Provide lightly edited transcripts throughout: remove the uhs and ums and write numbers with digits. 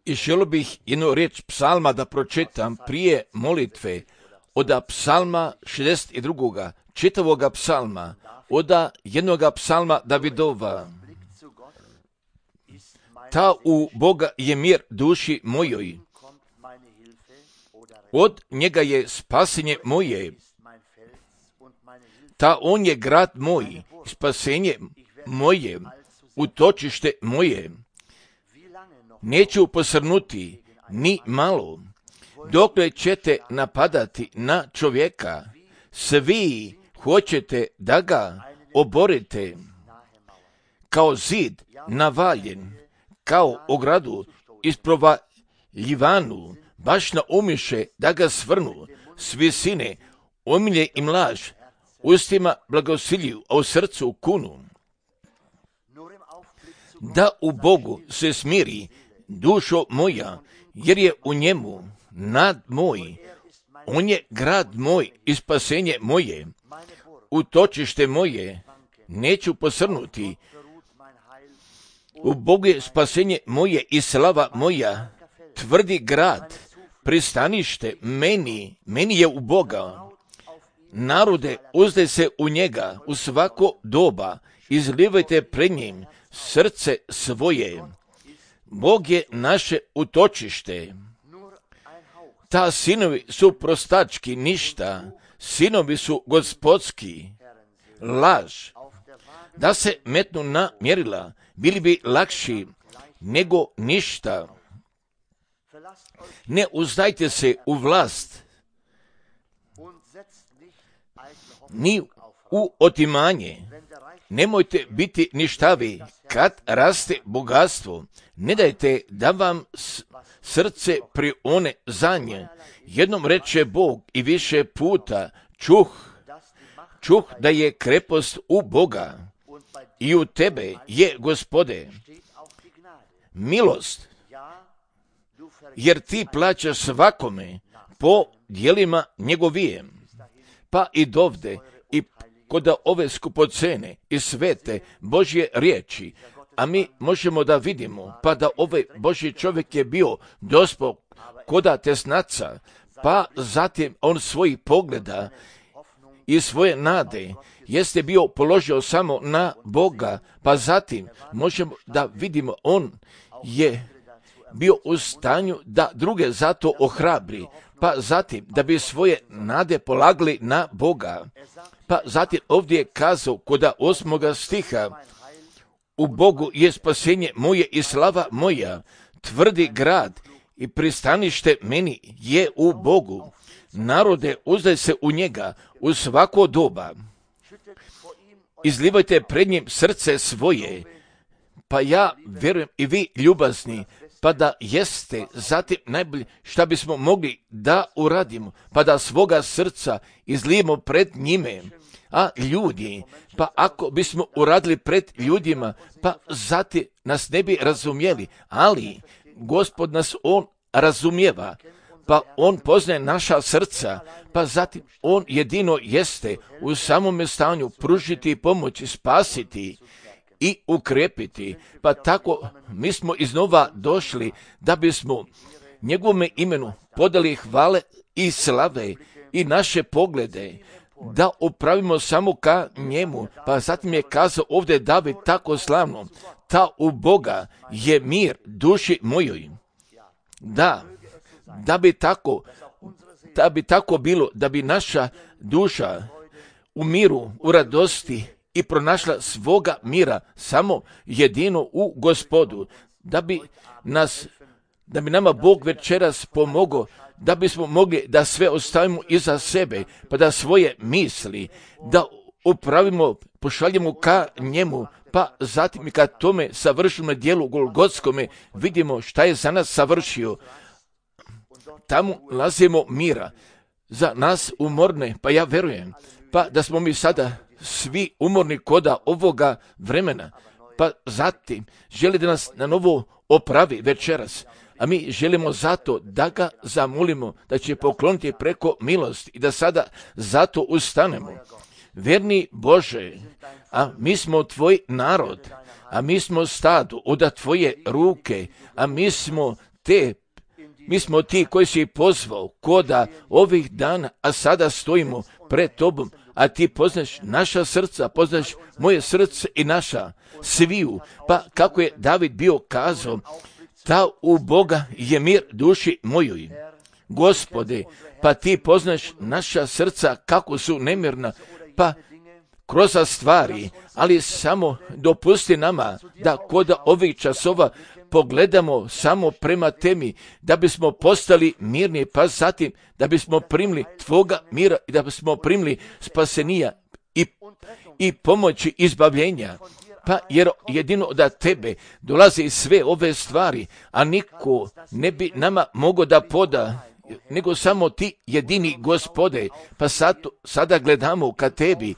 I želio bih jednu riječ psalma da pročitam prije molitve od psalma 62. čitavoga psalma, od jednoga psalma Davidova. Ta u Boga je mir duši mojoj, od njega je spasenje moje, ta on je grad moj, spasenje moje, utočište moje. Neću posrnuti ni malo, dokle ćete napadati na čovjeka, svi hoćete da ga oborite, kao zid navaljen, kao ogradu isprovaljivanu, baš na umiše da ga svrnu, s visine omilje im laž, ustima blagosilju, a u srcu kunu. Da u Bogu se smiri dušo moja, jer je u njemu nad moj, on je grad moj i spasenje moje, utočište moje, neću posrnuti. U Bogu je spasenje moje i slava moja, tvrdi grad, pristanište meni je u Boga. Narode, uzdaj se u njega u svako doba, izlivajte pred njim srce svoje. Bog je naše utočište. Ta sinovi su prostački ništa, sinovi su gospodski, laž. Da se metnu na mjerila, bili bi lakši nego ništa. Ne uzdajte se u vlast, ni u otimanje. Nemojte biti ništavi kad raste bogatstvo. Ne dajte da vam srce prione za nje. Jednom reče Bog i više puta čuh da je krepost u Boga i u tebe je, Gospode, milost, jer ti plaćaš svakome po djelima njegovije. Pa i dovde i kod ove skupocene i svete Božje riječi, a mi možemo da vidimo, pa da ovaj Božji čovjek je bio dospog koda tesnaca, pa zatim on svojih pogleda i svoje nade jeste bio položio samo na Boga, pa zatim možemo da vidimo on je bio u stanju da druge zato ohrabri, pa zatim da bi svoje nade polagali na Boga. Pa zatim ovdje je kazao kod 8. stiha, u Bogu je spasenje moje i slava moja, tvrdi grad i pristanište meni je u Bogu. Narode, uzdaj se u njega u svako doba. Izlivajte pred njim srce svoje. Pa ja vjerujem i vi ljubazni, pa da jeste zatim najbolje šta bismo mogli da uradimo, pa da svoga srca izlijemo pred njime. A ljudi, pa ako bismo uradili pred ljudima, pa zatim nas ne bi razumjeli, ali Gospod nas on razumijeva, pa on poznaje naša srca, pa zatim on jedino jeste u samome stanju pružiti pomoć, spasiti i ukrepiti. Pa tako mi smo iznova došli da bismo njegovome imenu podali hvale i slave i naše poglede, da upravimo samo ka njemu. Pa zatim je kazao ovdje David tako slavno, ta u Boga je mir duši mojoj. Da bi tako bilo, da bi naša duša u miru, u radosti i pronašla svoga mira samo jedino u Gospodu, da bi nama Bog večeras pomogao, da bismo mogli da sve ostavimo iza sebe, pa da svoje misli, da upravimo, pošaljemo ka njemu, pa zatim i kad tome savršimo dijelu Golgotskome, vidimo šta je za nas savršio. Tamo lazimo mira za nas umorne, pa ja verujem, pa da smo mi sada svi umorni koda ovoga vremena, pa zatim želi da nas na novo opravi večeras, a mi želimo zato da ga zamolimo da će pokloniti preko milosti i da sada zato ustanemo. verni Bože, a mi smo tvoj narod, a mi smo stado od tvoje ruke, a mi smo ti koji si pozvao koda ovih dana, a sada stojimo pred tobom, a ti poznaš naša srca, poznaš moje srce i naša sviju. Pa kako je David bio kazao, ta u Boga je mir duši mojoj. Gospode, pa ti poznaš naša srca kako su nemirna, pa kroz stvari, ali samo dopusti nama da kod ovih časova pogledamo samo prema temi, da bismo postali mirni, pa zatim da bismo primili tvoga mira i da bismo primili spasenija i pomoći izbavljenja. Pa jer jedino od tebe dolaze sve ove stvari, a niko ne bi nama mogao da poda, nego samo ti jedini Gospode. Pa sada gledamo ka tebi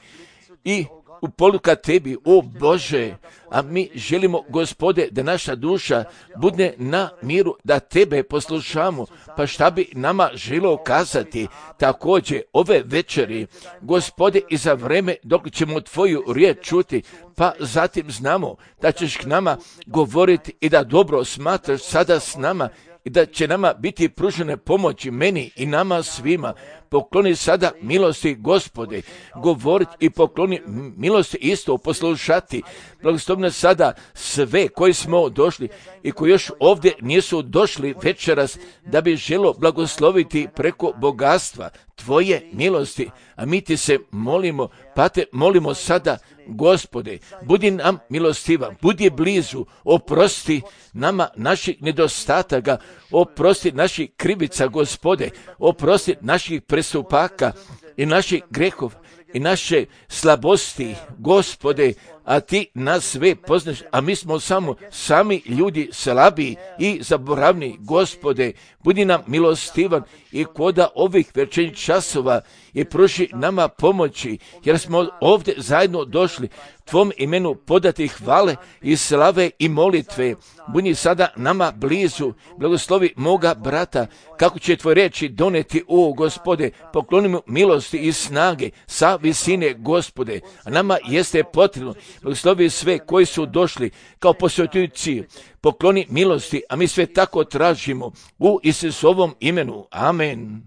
i u polu ka tebi, o Bože, a mi želimo, Gospode, da naša duša bude na miru, da tebe poslušamo. Pa šta bi nama želio kazati također ove večeri, Gospode, i za vreme dok ćemo tvoju riječ čuti, pa zatim znamo da ćeš k nama govoriti i da dobro smatraš sada s nama i da će nama biti pružene pomoći, meni i nama svima. Pokloni sada milosti, Gospode, govoriti i pokloni milosti isto poslušati. Blagoslovno sada sve koji smo došli i koji još ovdje nisu došli večeras, da bi želo blagosloviti preko bogatstva tvoje milosti. A mi ti se molimo, pa te molimo sada, Gospode, budi nam milostiva, budi blizu, oprosti nama naših nedostataka, oprosti naših krivica, Gospode, oprosti naših prestupaka i naših grehov i naše slabosti, Gospode, a ti nas sve poznaš, a mi smo samo sami ljudi slabiji i zaboravni, Gospode, budi nam milostivan i koda ovih večernjih časova i pruži nama pomoći, jer smo ovdje zajedno došli tvom imenu podati hvale i slave i molitve. Budi sada nama blizu, blagoslovi moga brata, kako će tvoje riječi doneti, o Gospode, pokloni mu milosti i snage sa visine, Gospode, a nama jeste potrebno. Blagoslovi sve koji su došli kao posjetitelji, pokloni milosti, a mi sve tako tražimo u Isusovom imenu. Amen.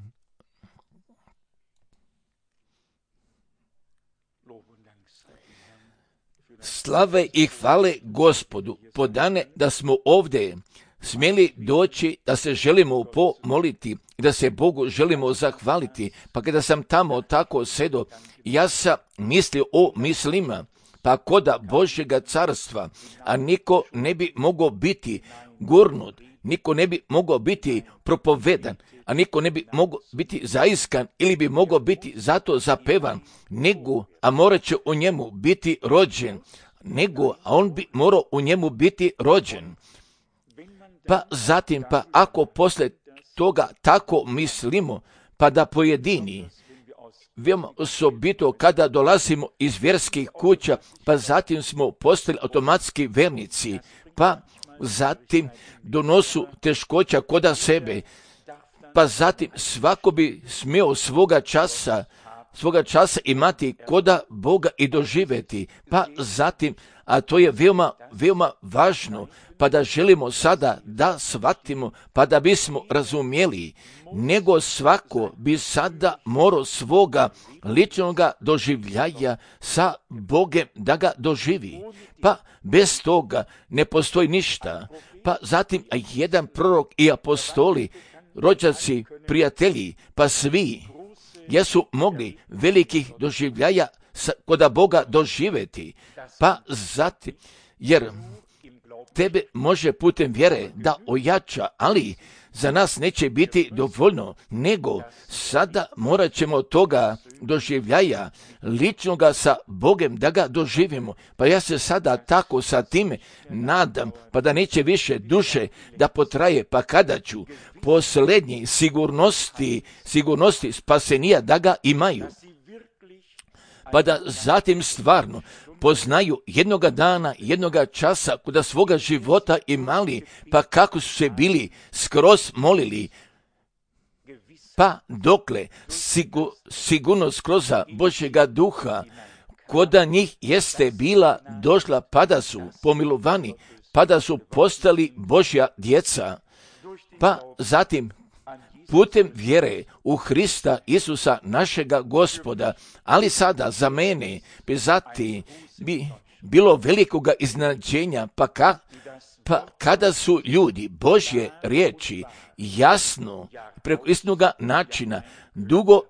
Slave i hvale Gospodu, podane da smo ovdje smjeli doći, da se želimo pomoliti i da se Bogu želimo zahvaliti. Pa kada sam tamo tako sedo, ja sam mislio o mislima, pa koda Božjega carstva, a niko ne bi mogao biti gurnut, niko ne bi mogao biti propovedan, a niko ne bi mogao biti zaiskan ili bi mogao biti zato zapevan, nego, a morat će u njemu biti rođen, a on bi morao u njemu biti rođen. Pa zatim, pa ako posle toga tako mislimo, pa da pojedini, veoma osobito kada dolazimo iz vjerskih kuća, pa zatim smo postali automatski vernici, pa zatim donosu teškoća koda sebe, pa zatim svako bi smio svoga časa imati koda Boga i doživjeti, pa zatim, a to je veoma važno, pa da želimo sada da shvatimo, pa da bismo razumjeli, nego svako bi sada morao svoga ličnoga doživljaja sa Bogem da ga doživi, pa bez toga ne postoji ništa. Pa zatim jedan prorok i apostoli, rođaci, prijatelji, pa svi jesu mogli velikih doživljaja koda Boga doživjeti, pa zatim, jer tebe može putem vjere da ojača, ali za nas neće biti dovoljno, nego sada morat ćemo toga doživljaja ličnoga sa Bogem da ga doživimo. Pa ja se sada tako sa time nadam, pa da neće više duše da potraje, pa kada ću posljednji sigurnosti spasenija da ga imaju, pa da zatim stvarno poznaju jednoga dana, jednoga časa, kuda svoga života imali, pa kako su se bili skroz molili, pa dokle sigurnost kroz Božjega duha koda njih jeste bila došla, pa da su pomilovani, pa da su postali Božja djeca, pa zatim putem vjere u Hrista Isusa našega Gospoda, ali sada za mene bi bilo velikoga iznenađenja, pa kada su ljudi Božje riječi jasno, preko istinoga načina,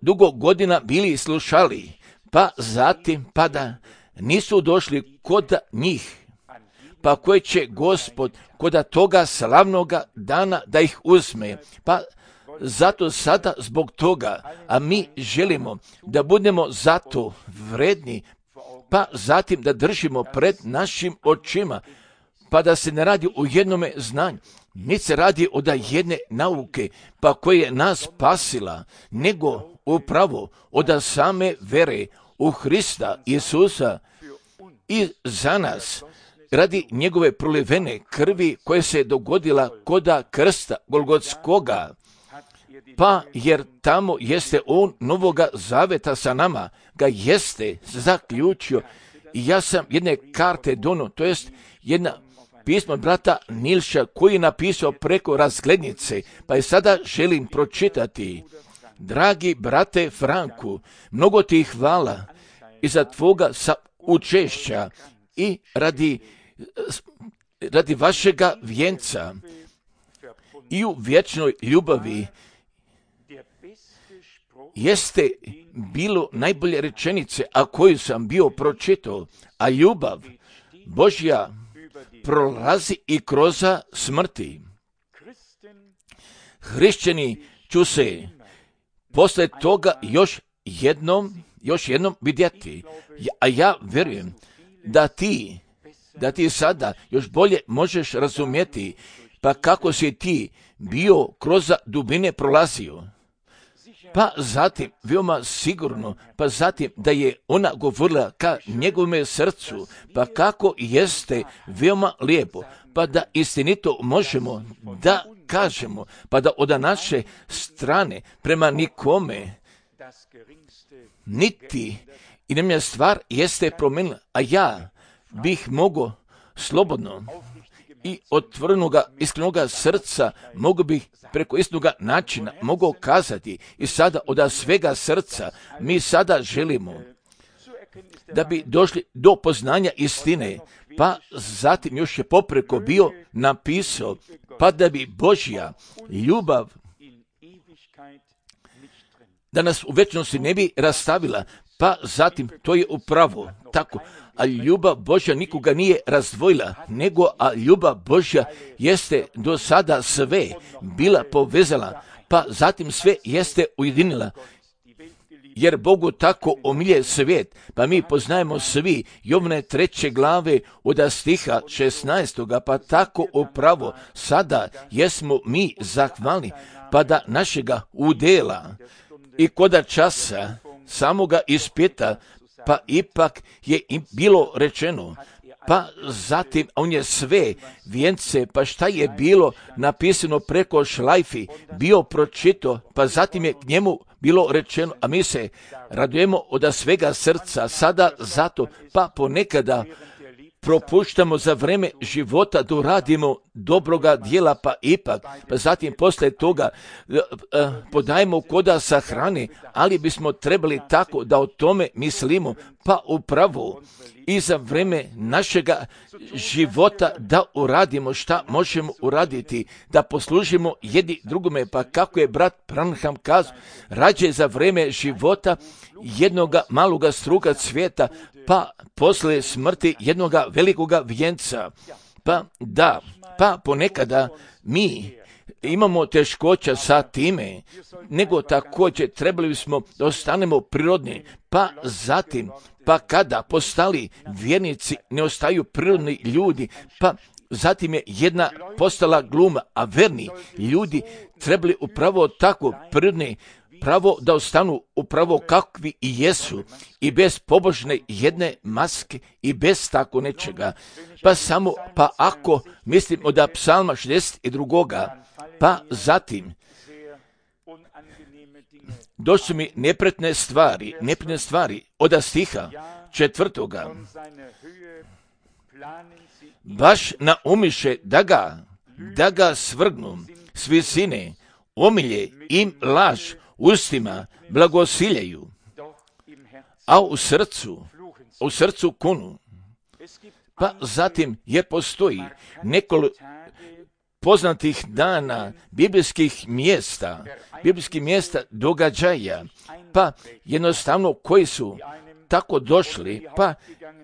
dugo godina bili slušali, pa zatim pa da nisu došli kod njih, pa koje će Gospod kod toga slavnoga dana da ih uzme, pa zato sada zbog toga, a mi želimo da budemo zato vredni, pa zatim da držimo pred našim očima, pa da se ne radi o jednome znanju, niti se radi od jedne nauke, pa koja je nas spasila, nego upravo od same vere u Hrista Isusa i za nas, radi njegove prolivene krvi koja se dogodila koda krsta Golgotskoga, pa jer tamo jeste on novoga zaveta sa nama, ga jeste zaključio. I ja sam jedne karte dono, to jest jedna pismo brata Nilša koji je napisao preko razglednice, pa je sada želim pročitati. Dragi brate Franku, mnogo ti hvala i za tvoga učešća i radi vašega vjenca i u vječnoj ljubavi jeste bilo najbolje rečenice, a koju sam bio pročitao, a ljubav Božja prolazi i kroz smrti. Hrišćani će se posle toga još jednom vidjeti, a ja vjerujem da ti sada još bolje možeš razumjeti, pa kako si ti bio kroz dubine prolazio. Pa zatim, veoma sigurno, pa zatim da je ona govorila ka njegovome srcu, pa kako jeste veoma lijepo, pa da istinito možemo da kažemo, pa da od naše strane prema nikome niti i nemja stvar jeste promenila, a ja bih mogao slobodno i otvorenoga, iskrenoga srca mogu bih preko istinoga načina mogao kazati i sada od svega srca mi sada želimo da bi došli do poznanja istine, pa zatim još je popreko bio napisao, pa da bi Božja ljubav da nas u večnosti ne bi rastavila, pa zatim to je upravo tako. A ljubav Božja nikoga nije razdvojila, nego a ljubav Božja jeste do sada sve bila povezala, pa zatim sve jeste ujedinila. Jer Bogu tako omilje svijet, pa mi poznajemo svi Jovne 3. glave od stiha 16. pa tako upravo sada jesmo mi zahvalni, pa da našega udela i koda časa samoga ispita, pa ipak je im bilo rečeno, pa zatim on je sve vjence, pa šta je bilo napisano preko šlajfi, bio pročito, pa zatim je k njemu bilo rečeno, a mi se radujemo od svega srca sada zato, pa ponekada propuštamo za vreme života da uradimo dobroga djela, pa ipak, pa zatim posle toga podajemo koda sa hrane, ali bismo trebali tako da o tome mislimo, pa upravo i za vreme našega života da uradimo šta možemo uraditi, da poslužimo jedni drugome, pa kako je brat Branham kazao, rađe za vreme života jednoga maloga struga cvijeta, pa posle smrti jednoga velikoga vjenca. Pa ponekada mi imamo teškoća sa time, nego također trebali bismo da ostanemo prirodni, pa zatim, pa kada postali vjernici ne ostaju prirodni ljudi, pa zatim je jedna postala gluma, a verni ljudi trebali upravo tako prirodni, pravo da ostanu upravo kakvi i jesu i bez pobožne jedne maske i bez tako nečega. Pa ako mislimo da psalma 62. pa zatim došli su mi nepretne stvari od stiha 4. Baš naumiše da ga svrgnu s visine, omilje im laž ustima blagosiljaju, a u srcu kunu. Pa zatim, jer postoji nekoliko poznatih dana biblijskih mjesta događaja, pa jednostavno koji su tako došli, pa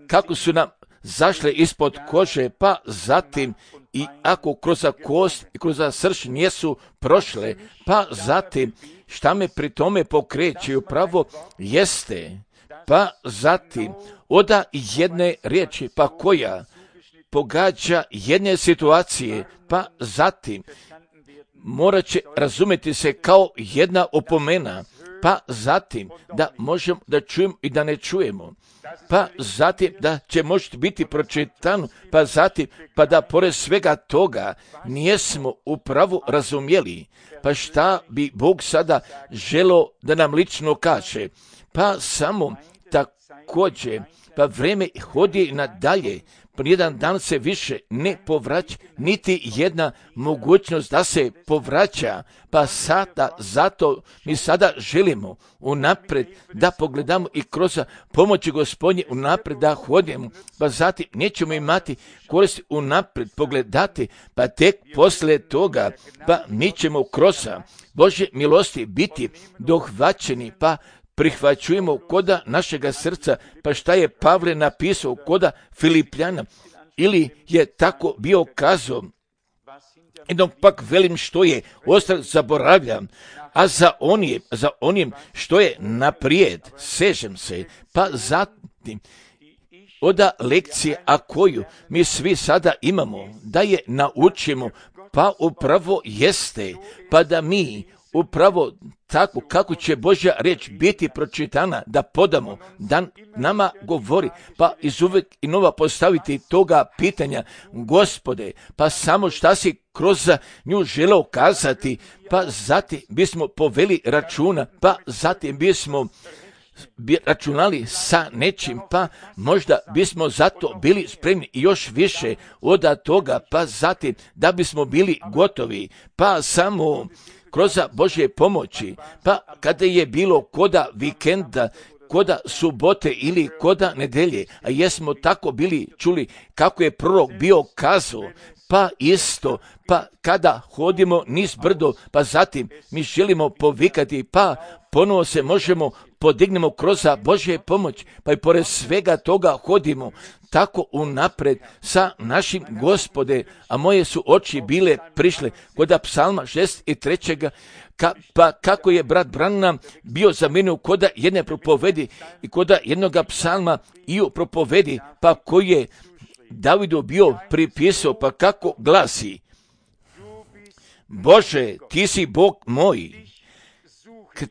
kako su nam zašle ispod kože, pa zatim i ako kroz kost i kroz srž nisu prošle, pa zatim šta me pri tome pokreće upravo jeste, pa zatim oda jedne riječi, pa koja pogađa jedne situacije, pa zatim morat će razumjeti se kao jedna opomena, pa zatim da možemo da čujemo i da ne čujemo, pa zatim da će možda biti pročitano, pa zatim pa da pored svega toga nijesmo upravo razumjeli, pa šta bi Bog sada želio da nam lično kaže, pa samo također, pa vrijeme hodi nadalje, pa jedan dan se više ne povraća, niti jedna mogućnost da se povraća, pa sada, zato mi sada želimo unaprijed da pogledamo i kroz pomoći Gospodnje unaprijed da hodimo, pa zatim nećemo imati koristi unaprijed pogledati, pa tek poslije toga, pa mi ćemo kroz Božje milosti biti dohvaćeni, pa prihvaćujemo koda našega srca, pa šta je Pavle napisao koda Filipljana, ili je tako bio kazao, jednom pak velim što je, ostalo zaboravljam, a za onim što je naprijed, sežem se, pa zatim, oda lekcije, a koju mi svi sada imamo, da je naučimo, pa upravo jeste, pa da mi upravo tako kako će Božja riječ biti pročitana, da podamo, da nama govori, pa izuvijek i nova postaviti toga pitanja, Gospode, pa samo šta si kroz nju želeo kazati, pa zatim bismo poveli računa, pa zatim bismo računali sa nečim, pa možda bismo zato bili spremni i još više od toga, pa zatim da bismo bili gotovi, pa samo kroz Božje pomoći, pa kada je bilo koda vikenda, koda subote ili koda nedelje, a jesmo tako bili čuli kako je prorok bio kazao, pa isto, pa kada hodimo niz brdo, pa zatim mi želimo povikati, pa ponovo se možemo podignemo kroz Božje pomoć, pa i pored svega toga hodimo tako unapred sa našim Gospode, a moje su oči bile prišle kod psalma 63. Pa kako je brat Branham bio zamenio koda jedne propovedi i koda jednoga psalma i u propovedi, pa koji je Davidu bio pripisao, pa kako glasi: Bože, ti si Bog moj, k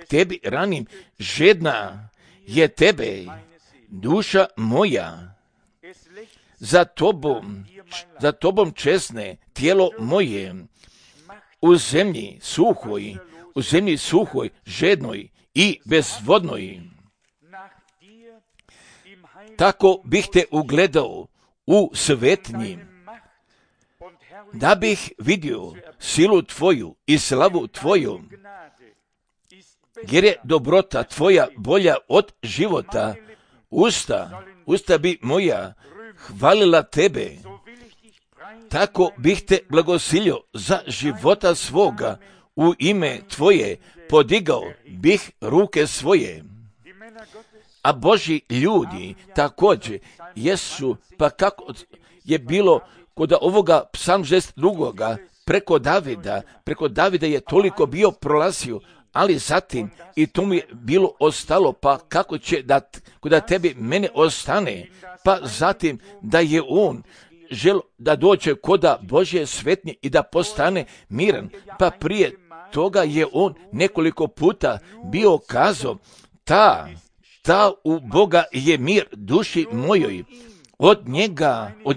tebi ranim, žedna je tebe, duša moja, za tobom česne tijelo moje, u zemlji suhoj, žednoj i bezvodnoj. Tako bih te ugledao u svetnji, da bih vidio silu tvoju i slavu tvoju, jer je dobrota tvoja bolja od života. Usta bi moja hvalila tebe, tako bih te blagosilio za života svoga, u ime tvoje podigao bih ruke svoje. A Božji ljudi također jesu, pa kako je bilo kod ovoga psalm 62. preko Davida je toliko bio prolazio, ali zatim i to mi je bilo ostalo, pa kako će da tebi mene ostane, pa zatim da je on žel da dođe koda Božje svetnje i da postane miran, pa prije toga je on nekoliko puta bio kazao, ta u Boga je mir duši mojoj, od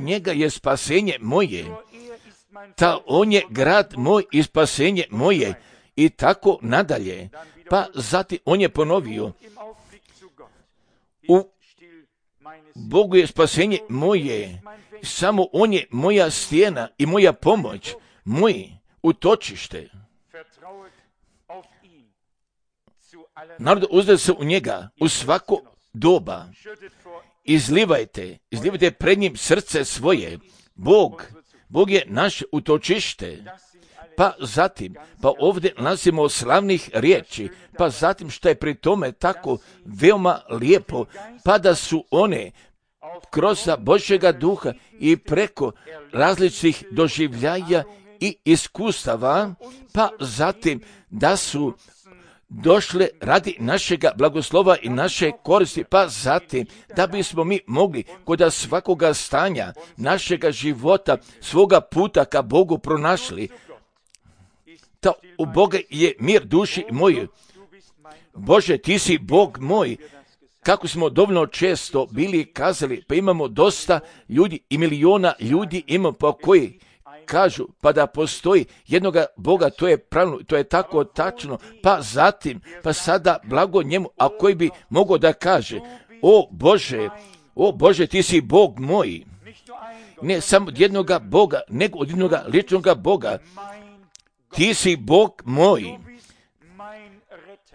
njega je spasenje moje, ta on je grad moj i spasenje moje, i tako nadalje. Pa zatim on je ponovio, u Bogu je spasenje moje, samo on je moja stijena i moja pomoć, moj utočište. Narod, uzde se u njega u svako doba. Izlivajte pred njim srce svoje. Bog je naše utočište. Pa zatim, ovdje nalazimo slavnih riječi, pa zatim što je pri tome tako veoma lijepo, pa da su one kroz Božjega duha i preko različitih doživljaja i iskustava, pa zatim da su došle radi našega blagoslova i naše koristi, pa zatim da bismo mi mogli kod svakoga stanja našega života, svoga puta ka Bogu pronašli. Ta u Boga je mir duši moje. Bože, ti si Bog moj. Kako smo dovoljno često bili kazali, pa imamo dosta ljudi i miliona ljudi imamo pa koji kažu pa da postoji jednoga Boga, to je pravilno, to je tako tačno, pa zatim, pa sada blago njemu, a koji bi mogao da kaže, o Bože, ti si Bog moj. Ne samo od jednoga Boga, nego od jednoga ličnoga Boga. Ti si Bog moj.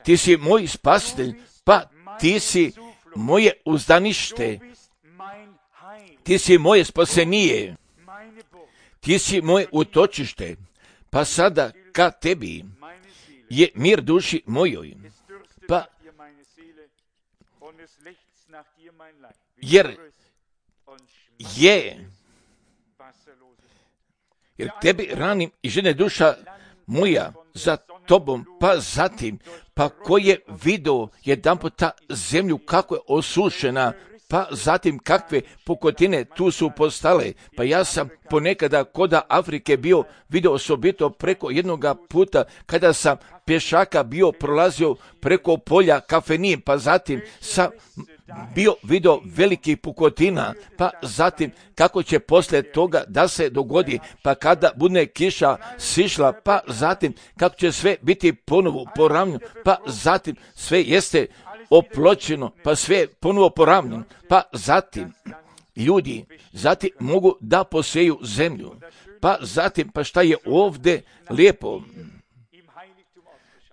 Ti si moj spasitelj, pa ti si moje uzdanište. Ti si moje spasenije. Ti si moje utočište, pa sada ka tebi je mir duši mojoj, pa jer tebi ranim i žene duša moja za tobom, pa zatim, pa ko je vidio jedanput ta zemlju kako je osušena, pa zatim kakve pukotine tu su postale. Pa ja sam ponekada koda Afrike bio vidio osobito preko jednoga puta kada sam pješaka bio prolazio preko polja kafenije, pa zatim sam bio vidio velikih pukotina, pa zatim kako će poslije toga da se dogodi, pa kada bude kiša sišla, pa zatim kako će sve biti ponovo poravnjeno, pa zatim sve jeste opločeno, pa sve ponovo poravnjeno, pa zatim ljudi mogu da poseju zemlju, pa zatim pa šta je ovdje lijepo.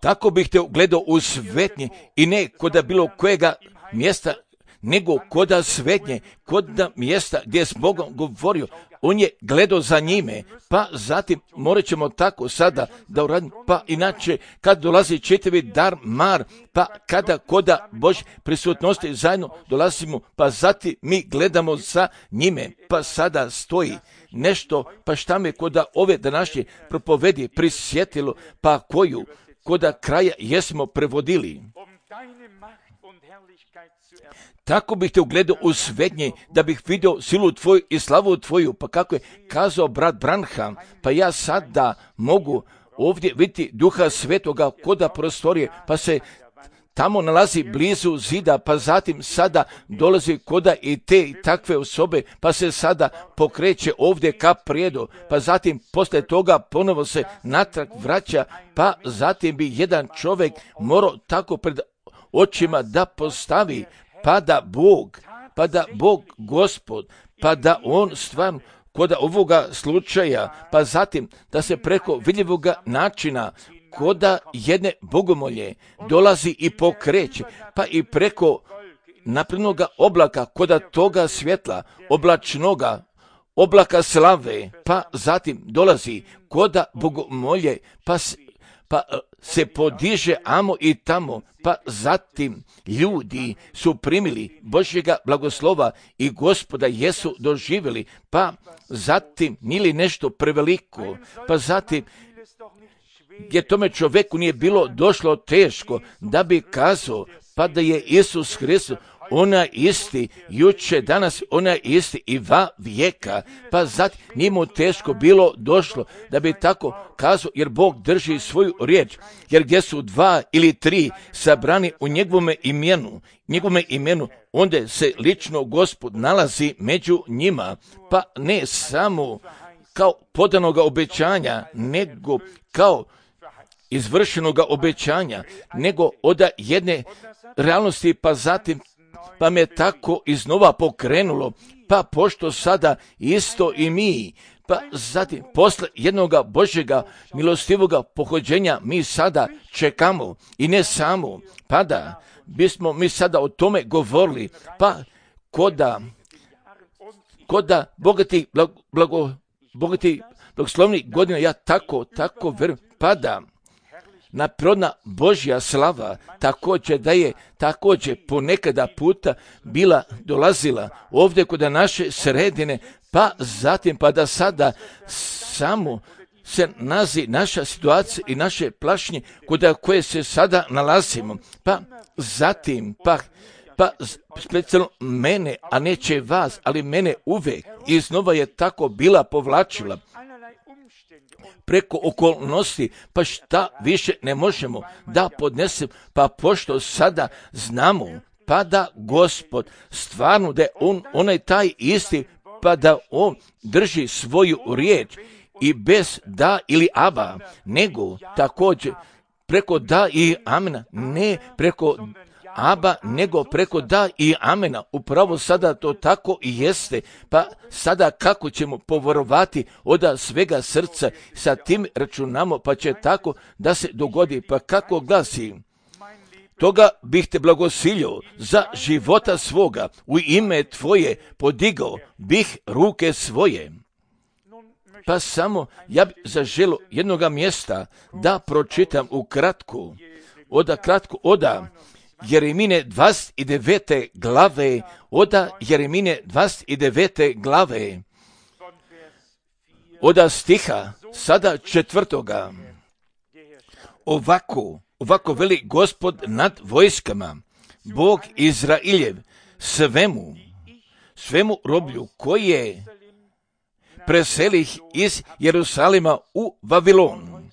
Tako bih te gledao u svetnje i ne koda bilo kojega mjesta, nego koda svetnje, koda mjesta gdje je s Bogom govorio, on je gledao za njime, pa zatim morat ćemo tako sada da uradimo, pa inače kad dolazi čitavi dar mar, pa kada koda Božje prisutnosti zajedno dolazimo, pa zatim mi gledamo za njime, pa sada stoji nešto, pa šta me koda ove današnje propovedi prisjetilo, pa koju koda kraja jesmo prevodili. Tako bih te ugledao u svetnje, da bih vidio silu tvoju i slavu tvoju, pa kako je kazao brat Branham, pa ja sada mogu ovdje vidjeti Duha Svetoga koda prostorije, pa se tamo nalazi blizu zida, pa zatim sada dolazi koda i te i takve osobe, pa se sada pokreće ovdje ka prijedu, pa zatim poslije toga ponovo se natrag vraća, pa zatim bi jedan čovjek morao tako pred očima da postavi, pa da Bog Gospod, pa da on stvarno kod ovoga slučaja, pa zatim da se preko vidljivoga načina koda jedne bogomolje dolazi i pokreće, pa i preko naprednoga oblaka, koda toga svjetla, oblačnoga, oblaka slave, pa zatim dolazi koda bogomolje, pa se podiže amo i tamo, pa zatim ljudi su primili Božjega blagoslova i Gospoda jesu doživjeli, pa zatim nili nešto preveliko, pa zatim jer tome čovjeku nije bilo došlo teško da bi kazao, pa da je Isus Hristos ona isti, juče, danas, ona isti i va vijeka, pa zatim nije mu teško bilo došlo da bi tako kazao, jer Bog drži svoju riječ, jer gdje su 2 ili 3 sabrani u njegovome imenu, onda se lično Gospod nalazi među njima, pa ne samo kao podanoga obećanja, nego kao izvršenoga obećanja, nego od jedne realnosti, pa zatim pa me tako iznova pokrenulo, pa pošto sada isto i mi, pa zatim posle jednoga Božjega milostivoga pohođenja mi sada čekamo i ne samo, pa da bismo mi sada o tome govorili, pa koda bogati blagoslovni godina, ja tako verujem, pa da naprodna Božja slava također da je također ponekada puta bila dolazila ovdje kod naše sredine, pa zatim pa da sada samo se nazi naša situacija i naše plašnje kod koje se sada nalazimo, pa zatim pa specijalno mene, a neće vas, ali mene uvek iznova je tako bila povlačila preko okolnosti, pa šta više ne možemo da podnesemo, pa pošto sada znamo, pa da Gospod stvarno da je onaj taj isti, pa da on drži svoju riječ i bez da ili aba, nego također preko da i amena, ne preko aba, nego preko da i amena. Upravo sada to tako i jeste, pa sada kako ćemo poverovati od svega srca, sa tim računamo, pa će tako da se dogodi, pa kako glasi: toga bih te blagosilio za života svoga, u ime tvoje podigao bih ruke svoje. Pa samo ja bih zaželio jednoga mjesta da pročitam u kratko od Jeremine 29. glave, od Jeremine 29. glave, od stiha sada 4. Ovako veli Gospod nad vojskama, Bog Izrailjev, svemu roblju koje preselih iz Jerusalima u Vavilon.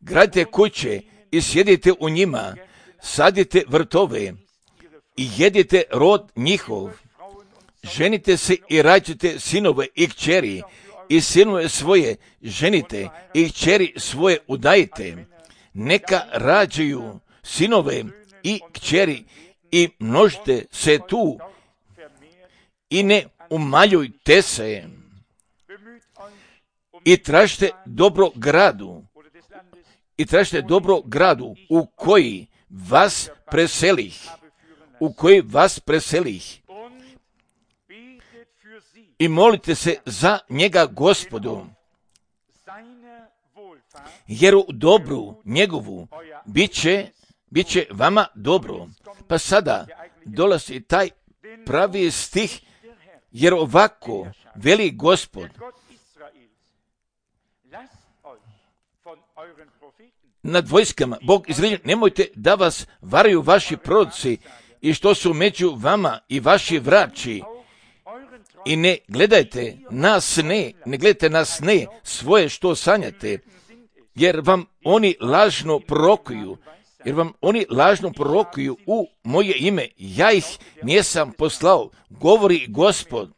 Gradite kuće i sjedite u njima, sadite vrtove i jedite rod njihov. Ženite se i rađite sinove i kćeri, i sinove svoje ženite i kćeri svoje udajite. Neka rađaju sinove i kćeri i množite se tu i ne umaljujte se. I tražite dobro gradu u koji vas preselih, i molite se za njega Gospodu, jer u dobru njegovu bit će vama dobro. Pa sada dolazi taj pravi stih, jer ovako veli Gospod nad vojskama, Bog Izraeljev, nemojte da vas varaju vaši proroci i što su među vama i vaši vraći, i ne gledajte nas ne svoje što sanjate, jer vam oni lažno prorokuju u moje ime, ja ih nisam poslao, govori Gospod.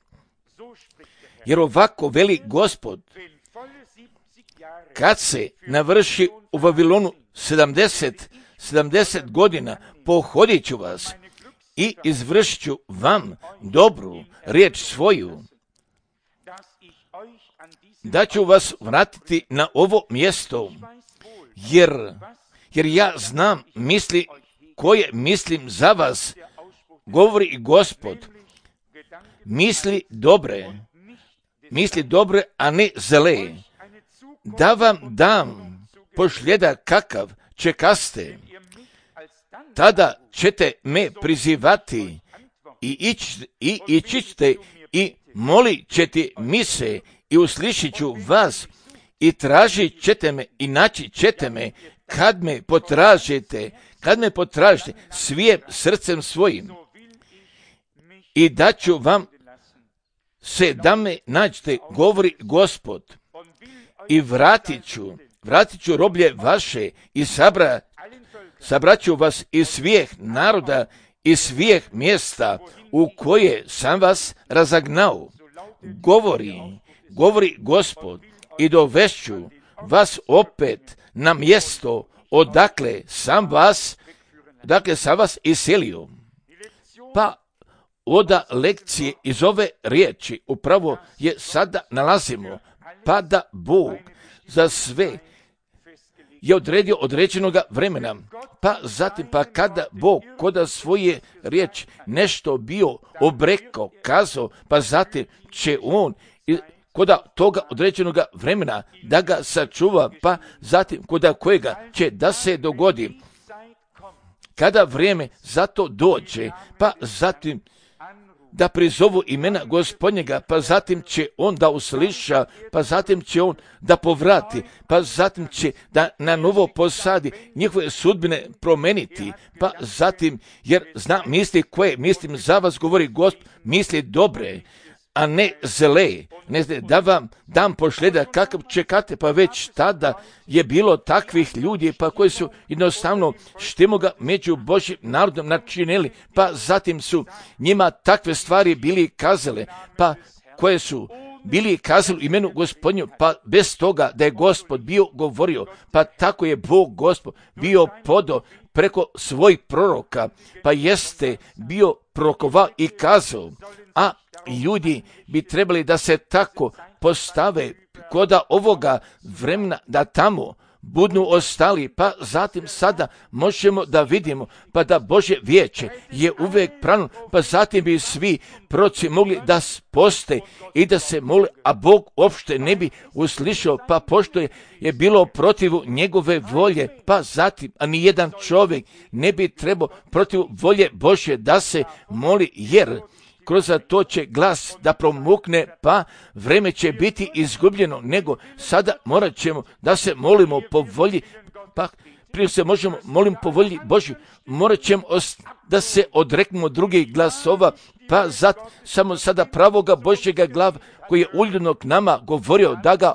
Jer ovako veli Gospod: kad se navrši u Vavilonu 70 godina, pohodit ću vas i izvršit ću vam dobru riječ svoju, da ću vas vratiti na ovo mjesto, jer ja znam misli koje mislim za vas, govori Gospod, misli dobre, a ne zle, da vam dam pošljeda kakav čekaste. Tada ćete me prizivati i ići i molit ćete mi se i uslišit ću vas i tražit ćete me i naći ćete me kad me potražite svijim srcem svojim, i da ću vam se da me nađete, govori Gospod, i vratit ću roblje vaše i sabrat ću vas iz svih naroda i svih mjesta u koje sam vas razagnao, govori Gospod, i dovešću vas opet na mjesto odakle sam vas iselio. Pa oda lekcije iz ove riječi upravo je sada nalazimo, pa da Bog za sve je odredio određenoga vremena, pa zatim pa kada Bog koda svoje riječi nešto bio obrekao, kazao, pa zatim će on koda toga određenoga vremena da ga sačuva, pa zatim koda kojega će da se dogodi. Kada vrijeme za to dođe, pa zatim da prizovu imena Gospodnjega, pa zatim će on da usliša, pa zatim će on da povrati, pa zatim će da na novo posadi njihove sudbine promeniti, pa zatim, jer zna misli koje, mislim za vas govori Gospod, misli dobre, a ne zle, ne zna da vam dam pošljeda kakav čekate, pa već tada je bilo takvih ljudi, pa koji su jednostavno štimoga među Božjim narodom načinili, pa zatim su njima takve stvari bili kazale, pa koje su bili kazali imenu Gospodnju, pa bez toga da je Gospod bio govorio, pa tako je Bog Gospod bio podao preko svojih proroka, pa jeste bio prorokovao i kazao, a ljudi bi trebali da se tako postave koda ovoga vremena da tamo budnu ostali, pa zatim sada možemo da vidimo, pa da Božje vijeće je uvijek pravno, pa zatim bi svi proroci mogli da poste i da se mole, a Bog uopšte ne bi uslišao, pa pošto je bilo protivu njegove volje, pa zatim, a ni jedan čovjek ne bi trebao protiv volje Božje da se moli, jer kroz to će glas da promukne, pa vreme će biti izgubljeno, nego sada morat ćemo da se molimo po volji, pa prije se možemo molim po volji Božju, morat ćemo da se odreknemo drugih glasova, pa samo sada pravoga Božjega glava koji je uljudno k nama govorio da ga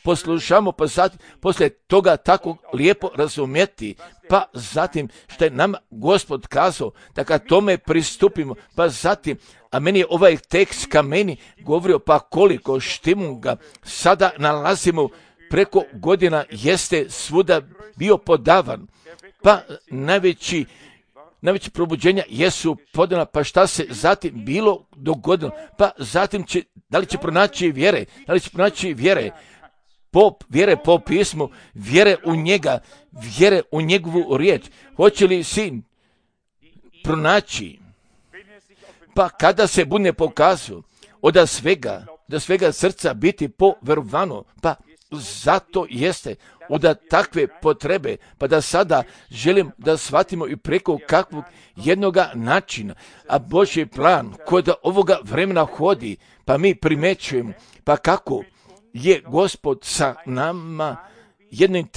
poslušamo, pa zatim poslije toga tako lijepo razumjeti, pa zatim što je nama Gospod kazao da kad tome pristupimo, pa zatim, a meni je ovaj tekst ka meni govorio, pa koliko štimu ga sada nalazimo preko godina jeste svuda bio podavan, pa najveći probuđenja jesu podana, pa šta se zatim bilo dogodilo, pa zatim da li će pronaći vjere, vjere po pismu, vjere u njega, vjere u njegovu riječ. Hoće li sin pronaći? Pa kada se bude pokazao od svega srca biti poverovano, pa zato jeste od takve potrebe, pa da sada želim da shvatimo i preko kakvog jednoga načina, a Božji plan kod ovoga vremena hodi, pa mi primećujemo, pa kako je Gospod sa nama jednim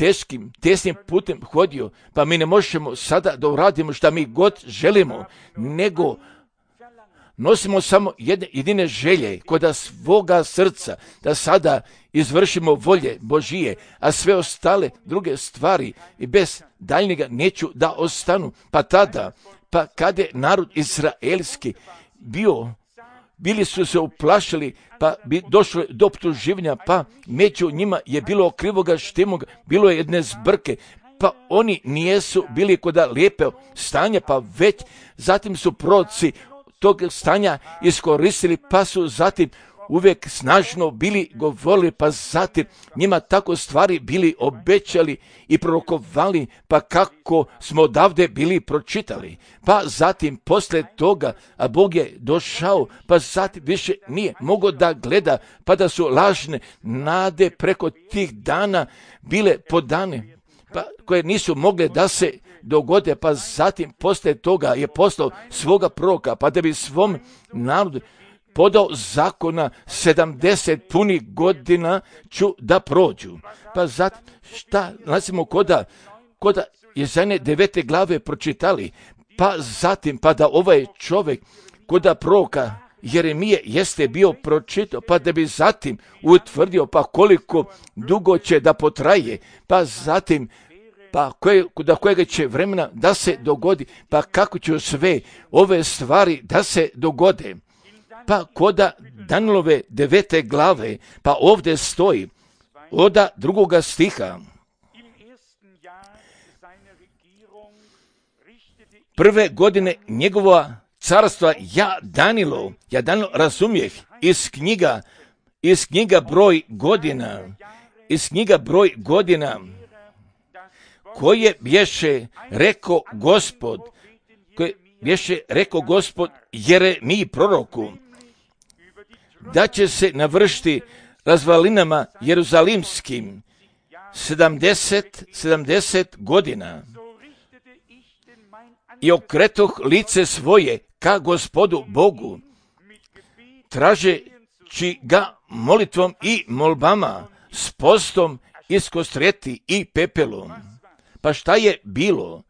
tesnim putem hodio, pa mi ne možemo sada da uradimo šta mi god želimo, nego nosimo samo jedine želje kod svoga srca, da sada izvršimo volje Božije, a sve ostale druge stvari i bez daljnjega neću da ostanu. Pa tada, pa kada je narod izraelski bili su se uplašili, pa bi došlo do optuživanja, pa među njima je bilo krivoga štimoga, bilo je jedne zbrke, pa oni nijesu bili kod lijepe stanja, pa već zatim su proroci tog stanja iskoristili, pa su zatim uvijek snažno bili govorili, pa zatim njima tako stvari bili obećali i prorokovali, pa kako smo odavde bili pročitali. Pa zatim posle toga, a Bog je došao, pa zatim više nije mogao da gleda, pa da su lažne nade preko tih dana bile podane, pa koje nisu mogle da se dogode, pa zatim posle toga je poslao svoga proroka, pa da bi svom narodu podao zakona 70 punih godina ću da prođu. Pa zatim šta nalazimo koda Jezajne 9. glave pročitali, pa zatim pa da ovaj čovjek koda proroka Jeremije jeste bio pročitao, pa da bi zatim utvrdio pa koliko dugo će da potraje, pa zatim pa do kojega će vremena da se dogodi, pa kako će sve ove stvari da se dogode. Pa koda Danielove 9. glave, pa ovdje stoji od 2. stiha, prve godine njegova carstva ja Danilo razumijeh iz knjiga broj godina, koje bješe rekao Gospod Jeremiji proroku, da će se navršiti razvalinama jeruzalimskim 70 godina. I okretoh lice svoje ka Gospodu Bogu, tražeći ga molitvom i molbama, s postom iskostrijeti i pepelom. Pa šta je bilo?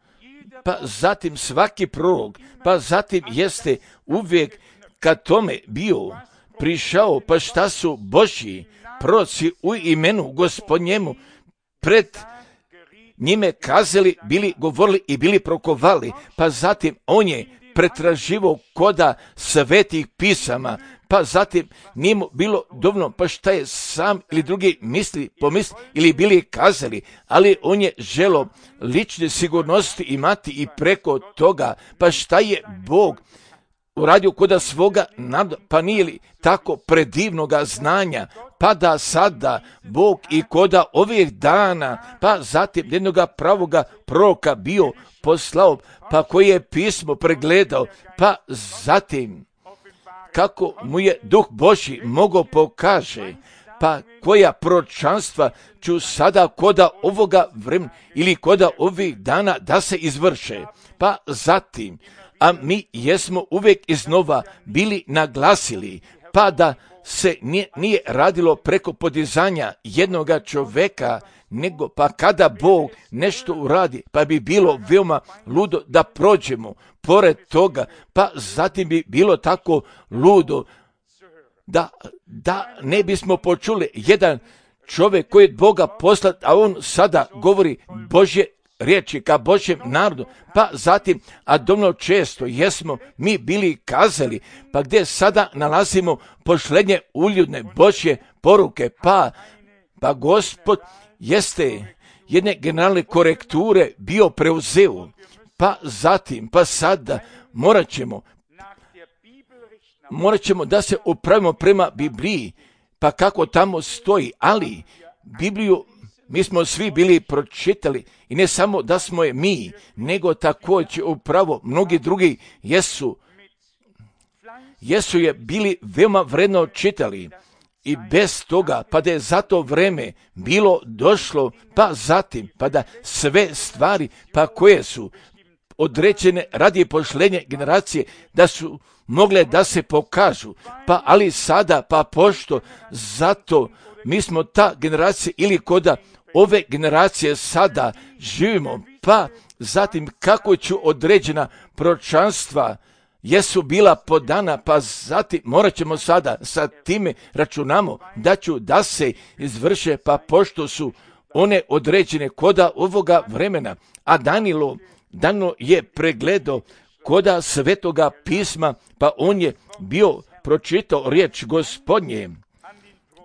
Pa zatim svaki prorok, pa zatim jeste uvijek kad tome bio prišao, pa šta su Božji proroci u imenu Gospodnjemu pred njime kazali, bili govorili i bili prokovali, pa zatim on je pretraživo koda svetih pisama, pa zatim nije mu bilo dovoljno, pa šta je sam ili drugi pomisli ili bili kazali, ali on je želo lične sigurnosti imati i preko toga, pa šta je Bog uradio koda svoga naroda, pa nije li tako predivnoga znanja, pa da sada Bog i koda ovih dana, pa zatim jednoga pravoga proroka bio poslao, pa koji je pismo pregledao, pa zatim kako mu je Duh Božji mogao pokaže, pa koja proročanstva ću sada koda ovoga vremena ili koda ovih dana da se izvrše, pa zatim, a mi jesmo uvijek iznova bili naglasili, pa da se nije radilo preko podizanja jednoga čovjeka, nego pa kada Bog nešto uradi, pa bi bilo veoma ludo da prođemo pored toga, pa zatim bi bilo tako ludo da ne bismo počuli jedan čovjek koji je Boga poslat, a on sada govori Božje riječi ka Božjem narodu, pa zatim, a dovoljno često jesmo mi bili kazali, pa gdje sada nalazimo pošlednje uljudne Božje poruke, pa Gospod jeste jedne generalne korekture bio preuzeo, pa zatim, pa sada morat ćemo da se upravimo prema Bibliji, pa kako tamo stoji, ali Bibliju mi smo svi bili pročitali i ne samo da smo je mi, nego također upravo mnogi drugi jesu je bili veoma vredno čitali i bez toga, pa da je za to vreme bilo došlo, pa zatim, pa da sve stvari, pa koje su određene radi pošlenje generacije, da su mogle da se pokažu, pa ali sada, pa pošto zato mi smo ta generacija ili koda ove generacije sada živimo, pa zatim kako ću određena proročanstva jesu bila podana, pa zatim morat ćemo sada sa time računamo da se izvrše, pa pošto su one određene koda ovoga vremena, a Danilo je pregledao koda svetoga pisma, pa on je bio pročitao riječ Gospodnje,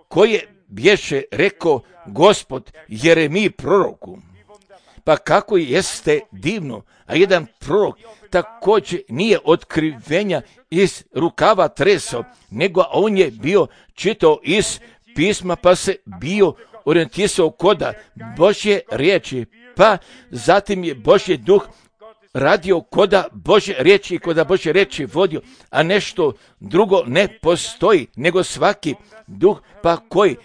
koje bješe rekao Gospod Jeremiji proroku. Pa kako jeste divno, a jedan prorok također nije otkrivenja iz rukava tresao, nego on je bio čitao iz pisma, pa se bio orijentisao koda Božje riječi, pa zatim je Božji duh radio koda Božje riječi i koda Božje riječi vodio, a nešto drugo ne postoji, nego svaki duh pa koji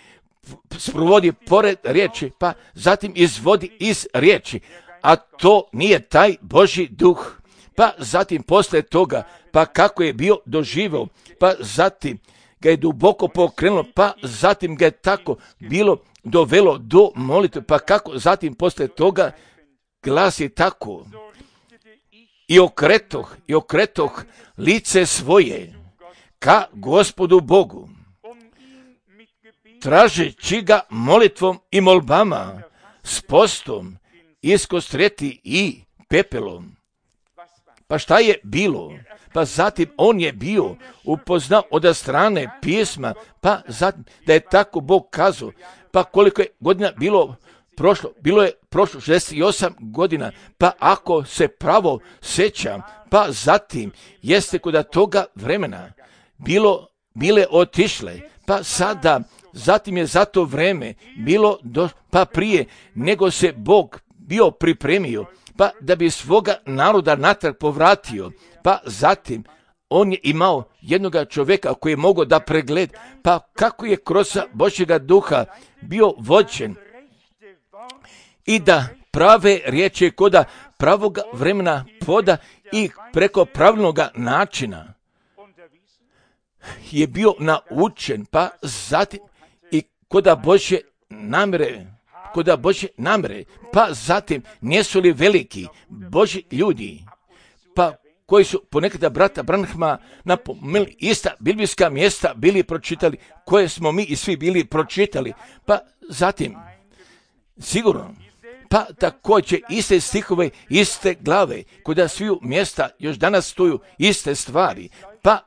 sprovodi pored riječi, pa zatim izvodi iz riječi, a to nije taj Božji duh. Pa zatim posle toga, pa kako je bio doživio, pa zatim ga je duboko pokrenulo, pa zatim ga je tako bilo dovelo do molitve, pa kako zatim posle toga glasi tako: i okretoh lice svoje ka Gospodu Bogu, tražeći ga molitvom i molbama, s postom, iskostrijeti i pepelom. Pa šta je bilo? Pa zatim on je bio upoznao od strane pisma, pa zatim da je tako Bog kazao, pa koliko je godina bilo bilo je prošlo 68 godina, pa ako se pravo sjećam, pa zatim jeste kod toga vremena bile otišle, pa sada, zatim je za to vreme bilo pa prije nego se Bog bio pripremio, pa da bi svoga naroda natrag povratio, pa zatim on je imao jednoga čovjeka koji je mogao da pregleda, pa kako je kroz Božjega duha bio vođen i da prave riječi koda pravoga vremena poda i preko pravilnoga načina je bio naučen, pa zatim i koda Božje namere, pa zatim nisu li veliki Božji ljudi, pa koji su ponekada brata Branhama napomenuli ista biblijska mjesta bili pročitali, koje smo mi i svi bili pročitali, pa zatim sigurno, pa također iste stihove, iste glave, kod sviju mjesta još danas stoju iste stvari, pa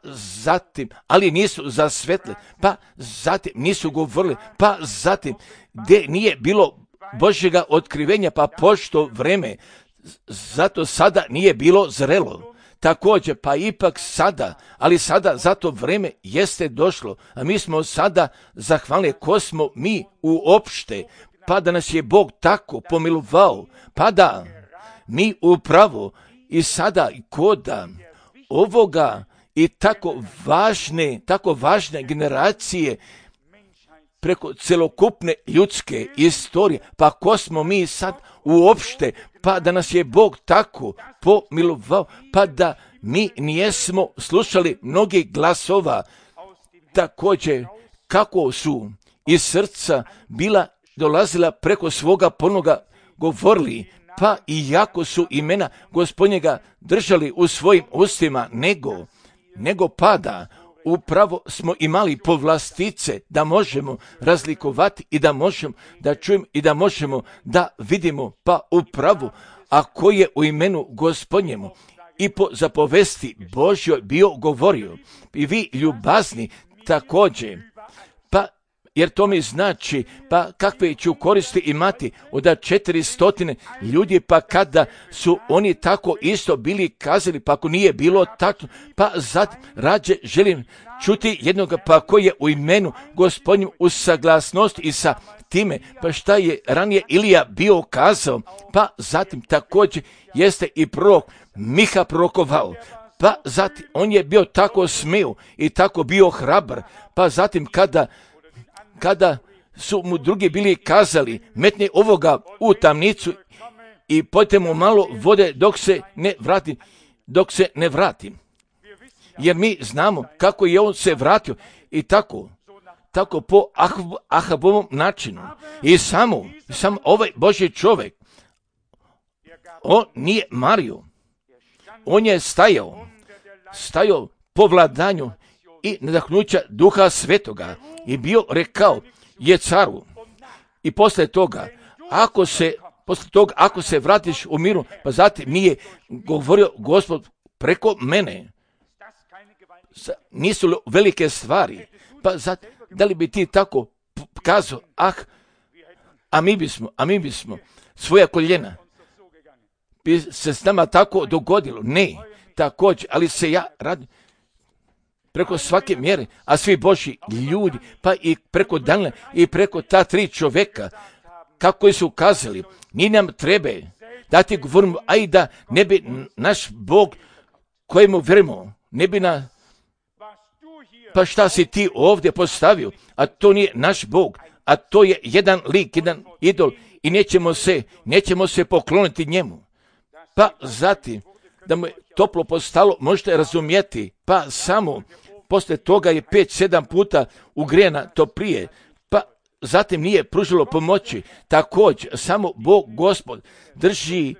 zatim, ali nisu zasvetle, pa zatim nisu govorili, pa zatim gdje nije bilo Božjega otkrivenja, pa pošto vreme, zato sada nije bilo zrelo. Također, pa ipak sada, ali sada zato vreme jeste došlo, a mi smo sada zahvalni ko smo mi uopšte, pa da nas je Bog tako pomilovao, pa da mi upravo i sada i koda ovoga i tako važne generacije preko celokupne ljudske istorije, pa ko smo mi sad uopšte, pa da nas je Bog tako pomilovao, pa da mi nijesmo slušali mnogi glasova, također kako su iz srca dolazila preko svoga ponoga govorili, pa i jako su imena Gospodnjega držali u svojim ustima, nego pada upravo smo imali povlastice da možemo razlikovati i da možemo da čujemo i da možemo da vidimo, pa upravo ako je u imenu Gospodnjemu i po zapovesti Božjoj bio govorio, i vi ljubazni također, pa jer to mi znači, pa kakve ću koristi imati od 400 ljudi, pa kada su oni tako isto bili kazali, pa ako nije bilo tako, pa zatim rađe želim čuti jednoga, pa koji je u imenu Gospodnju u saglasnosti i sa time, pa šta je ranije Ilija bio kazao, pa zatim također jeste i prorok Miha prorokovao, pa zatim on je bio tako smio i tako bio hrabar, pa zatim kada su mu drugi bili kazali, metni ovoga u tamnicu i pojte mu malo vode dok se ne vrati. Jer mi znamo kako je on se vratio i tako po Ahabovom načinu. I samo ovaj Božji čovjek, on nije mario, on je stajao po vladanju i nadahnuća Duha Svetoga i bio rekao je caru. I poslije toga, ako se vratiš u miru, pa zatim nije govorio Gospod preko mene. Nisu li velike stvari? Pa zatim, da li bi ti tako kazao, a mi bismo svoja koljena bi se s nama tako dogodilo? Ne, također, ali se ja radim preko svake mjere, a svi Božji ljudi, pa i preko Danila i preko ta 3 čovjeka, kako su kazali, ni nam treba da ti govorimo, a i da ne bi naš Bog kojemu vjerujemo, ne bi pa šta si ti ovdje postavio, a to nije naš Bog, a to je jedan lik, jedan idol i nećemo se pokloniti njemu. Pa zatim, da mu je toplo postalo, možete razumjeti, pa samo poslije toga je 5-7 puta ugrijana to prije, pa zatim nije pružilo pomoći. Također, samo Bog Gospod drži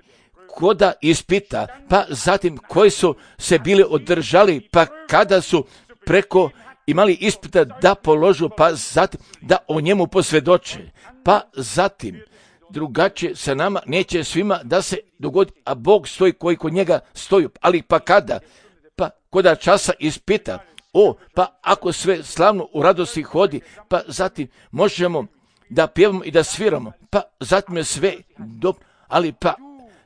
koda ispita, pa zatim koji su se bili održali, pa kada su preko imali ispita da položu, pa zatim da o njemu posvjedoče, pa zatim drugačije sa nama neće svima da se dogodi, a Bog stoji koji kod njega stoji, ali pa kada? Pa koda časa ispita, pa ako sve slavno u radosti hodi, pa zatim možemo da pjevamo i da sviramo, pa zatim je sve dobro, ali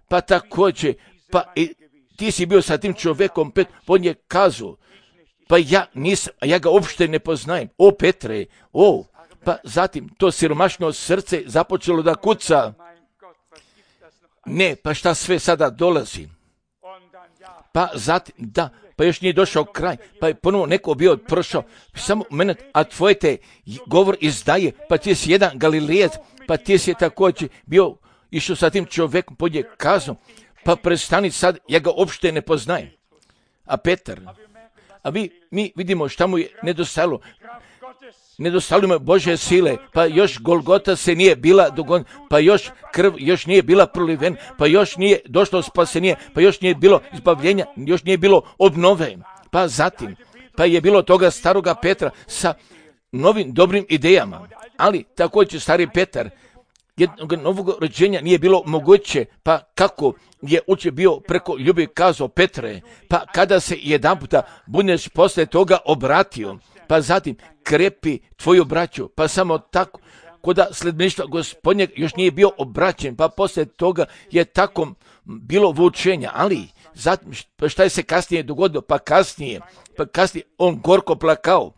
pa također, pa i ti si bio sa tim čovjekom, on je kazao, pa ja nisam, ja ga uopšte ne poznajem, o Petre, pa zatim to siromašno srce započelo da kuca, ne, pa šta sve sada dolazi, pa zatim, da, pa još nije došao kraj, pa je ponovo neko bio prošao, samo moment, a tvoje te govor izdaje, pa ti si jedan Galilejac, pa ti si također bio, išao sa tim čovjekom, pod je kazao, pa prestani sad, ja ga uopšte ne poznajem. A Petar, mi vidimo šta mu je nedostajalo. Nedostalo mu je Božje sile, pa još Golgota se nije bila dogodila, pa još krv još nije bila proliven, pa još nije došlo spasenje, pa još nije bilo izbavljenja, još nije bilo obnove. Pa zatim, pa je bilo toga staroga Petra sa novim dobrim idejama, ali također stari Petar, jednog novog rođenja nije bilo moguće, pa kako je uče bio preko ljubavi kazao Petre, pa kada se jedan puta budeš posle toga obratio, pa zatim krepi tvoju braću, pa samo tako, koda sledbeništva Gospodnjeg još nije bio obraćen, pa posle toga je tako bilo vučenja, ali zatim šta je se kasnije dogodilo, pa kasnije on gorko plakao,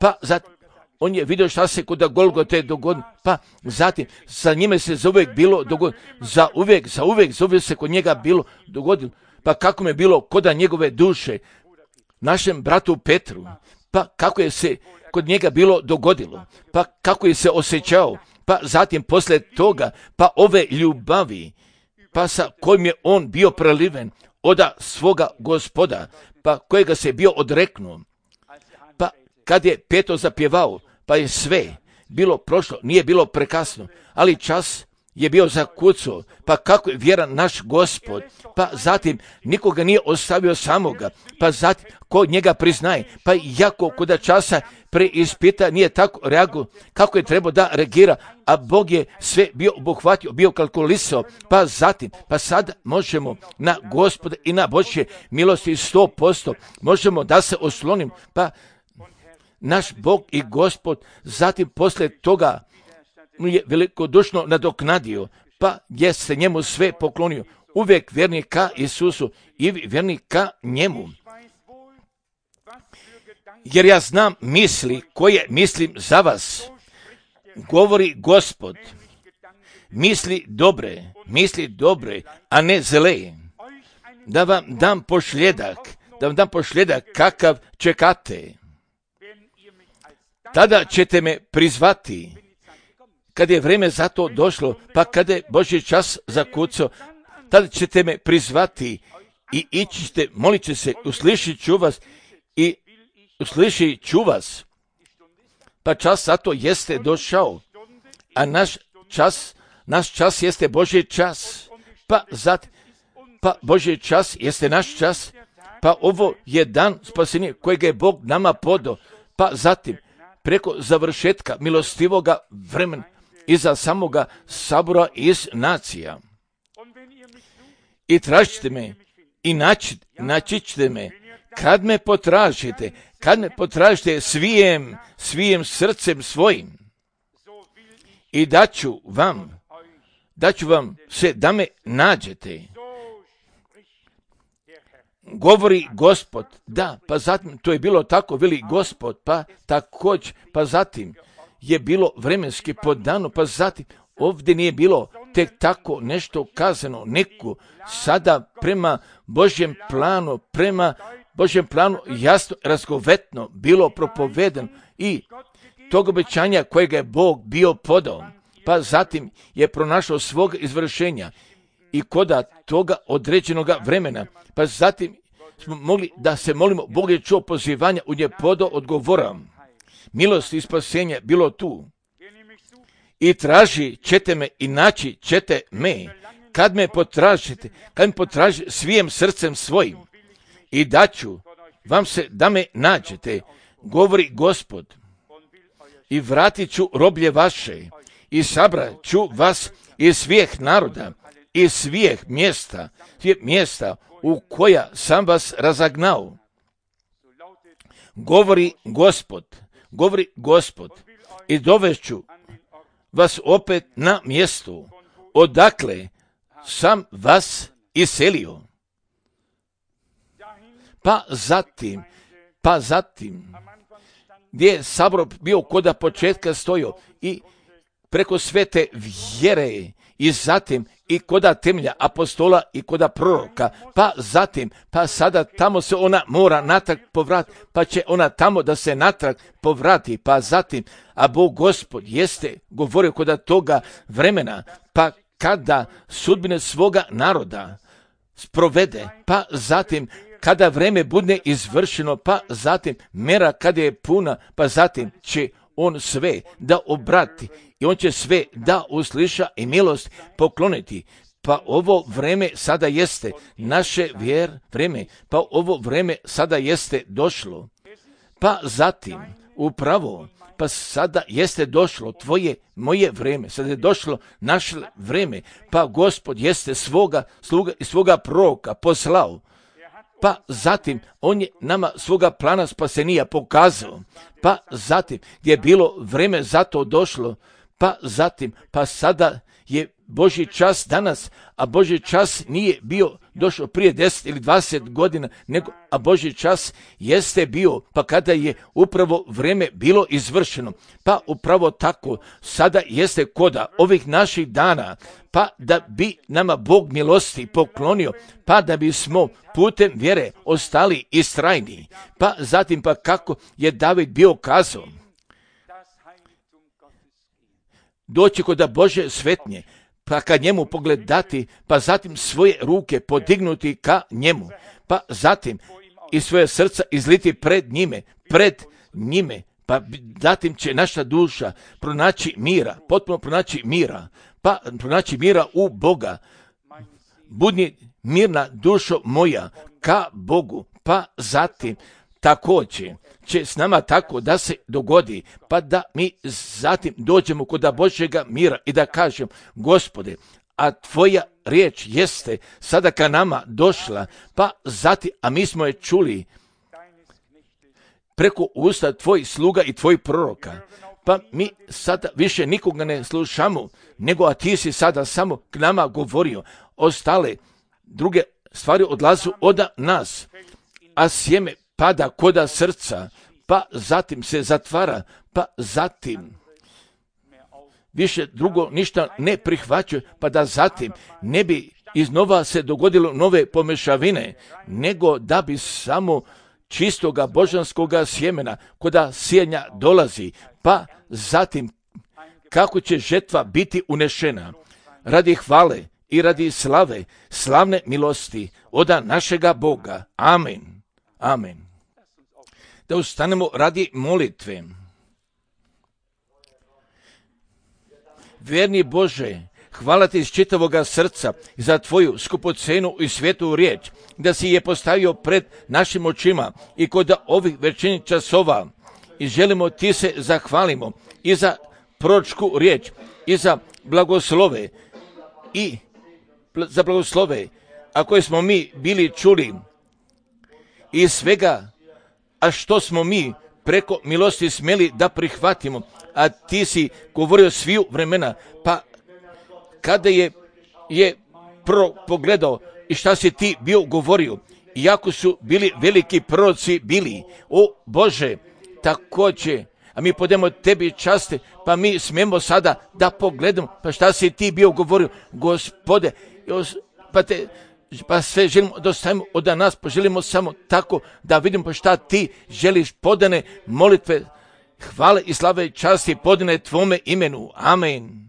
pa zatim on je vidio šta se kod Golgote dogodilo, pa zatim sa njime se zauvijek bilo dogodilo, zauvijek se kod njega bilo dogodilo, pa kako je bilo koda njegove duše, našem bratu Petru, pa kako je se kod njega bilo dogodilo, pa kako je se osjećao, pa zatim posle toga, pa ove ljubavi, pa sa kojim je on bio preliven oda svoga Gospoda, pa kojega se bio odreknuo, pa kad je Petro zapjevao, pa je sve bilo prošlo, nije bilo prekasno, ali čas je bio zakucao, pa kako je vjeran naš Gospod, pa zatim nikoga nije ostavio samoga, pa zatim ko njega priznaje, pa jako koda časa preispita nije tako reagovao kako je trebao da reagira, a Bog je sve bio obuhvatio, bio kalkulisao, pa zatim, pa sad možemo na Gospoda i na Božje milosti 100%, možemo da se oslonim, pa naš Bog i Gospod zatim posle toga je velikodušno nadoknadio, pa je se njemu sve poklonio, uvijek vjerni ka Isusu i vjerni ka njemu. Jer ja znam misli koje mislim za vas, govori Gospod, misli dobre, a ne zle, da vam dam pošljedak kakav čekate. Tada ćete me prizvati, kad je vrijeme za to došlo, pa kada je Božji čas zakucao, tada ćete me prizvati i ići ćete, molit će se, uslišit ću vas, pa čas za to jeste došao, a naš čas jeste Božji čas, pa Božji čas jeste naš čas, pa ovo je dan spasenja kojeg je Bog nama podao, pa zatim preko završetka milostivoga vremena iza samoga sabora iz nacija. I tražite me, i naći ćete me, kad me potražite svijem srcem svojim. I daću vam se da me nađete. Govori Gospod, da, pa zatim to je bilo tako, veli Gospod, pa također, pa zatim je bilo vremenski podano, pa zatim ovdje nije bilo tek tako nešto kazano, neku sada prema Božjem planu jasno, razgovetno bilo propovedano i tog obećanja kojega je Bog bio podao, pa zatim je pronašao svog izvršenja i koda toga određenoga vremena, pa zatim smo mogli da se molimo, Bog je čuo pozivanja, u nje podao odgovora. Milost i spasenje bilo tu. I traži ćete me i naći ćete me, kad me potražite svijem srcem svojim. I daću vam se da me nađete, govori Gospod. I vratit ću roblje vaše, i sabrat ću vas iz svih naroda, iz svih mjesta u koja sam vas razagnao. Govori Gospod, i dovešću vas opet na mjestu, odakle sam vas iselio. Pa zatim, gdje je sabor bio koda početka stojio i preko svete vjere i zatim i koda temelja apostola i koda proroka, pa sada tamo se ona mora natrag povratiti, pa će ona tamo da se natrag povrati, pa zatim, a Bog Gospod jeste govorio koda toga vremena, pa kada sudbine svoga naroda sprovede, pa zatim kada vreme bude izvršeno, pa zatim mera kada je puna, pa zatim će on sve da obrati i on će sve da usliša i milost pokloniti. Pa ovo vreme sada jeste naše vreme, pa ovo vreme sada jeste došlo. Pa zatim upravo, pa sada jeste došlo tvoje, moje vreme, sada je došlo naše vreme, pa Gospod jeste svoga sluga i svoga proroka poslao. Pa zatim on je nama svoga plana spasenija pokazao. Pa zatim gdje je bilo vreme za to došlo. Pa zatim, pa sada je Božji čas danas, a Božji čas nije bio došao prije 10 ili 20 godina, a Božji čas jeste bio, pa kada je upravo vreme bilo izvršeno. Pa upravo tako, sada jeste koda ovih naših dana, pa da bi nama Bog milosti poklonio, pa da bismo putem vjere ostali istrajni. Pa zatim, pa kako je David bio kazao, doći kod Bože svetnje, pa ka njemu pogledati, pa zatim svoje ruke podignuti ka njemu, pa zatim i svoje srca izliti pred njime, pa zatim će naša duša pronaći mira, potpuno pronaći mira, pa pronaći mira u Boga. Budi mirna dušo moja ka Bogu, pa zatim također će s nama tako da se dogodi, pa da mi zatim dođemo kod Božjega mira i da kažem, Gospode, a tvoja riječ jeste sada ka nama došla, pa zatim, a mi smo je čuli preko usta tvojih sluga i tvojih proroka, pa mi sada više nikoga ne slušamo, nego a ti si sada samo k nama govorio, ostale druge stvari odlazu od nas, a sjeme pada koda srca, pa zatim se zatvara, pa zatim više drugo ništa ne prihvaćaju, pa da zatim ne bi iznova se dogodilo nove pomešavine, nego da bi samo čistoga božanskoga sjemena koda sijanja dolazi, pa zatim kako će žetva biti unešena radi hvale i radi slave, slavne milosti od našega Boga. Amen. Amen. Da ustanemo radi molitve. Vjerni Bože, hvala ti iz čitavoga srca za tvoju skupocenu i svetu riječ, da si je postavio pred našim očima i kod ovih večernjih časova. I želimo ti se zahvalimo i za proročku riječ, i za blagoslove, a koje smo mi bili čuli, i svega, a što smo mi preko milosti smjeli da prihvatimo, a ti si govorio sviju vremena, pa kada je prvo pogledao i šta si ti bio govorio, iako su bili veliki proroci bili, o Bože, također, a mi podemo tebi časte, pa mi smijemo sada da pogledamo, pa šta si ti bio govorio, Gospode, pa sve želimo da ostavimo od nas, pa želimo samo tako da vidimo pa šta ti želiš, podane molitve, hvale i slave i časti podane tvome imenu. Amen.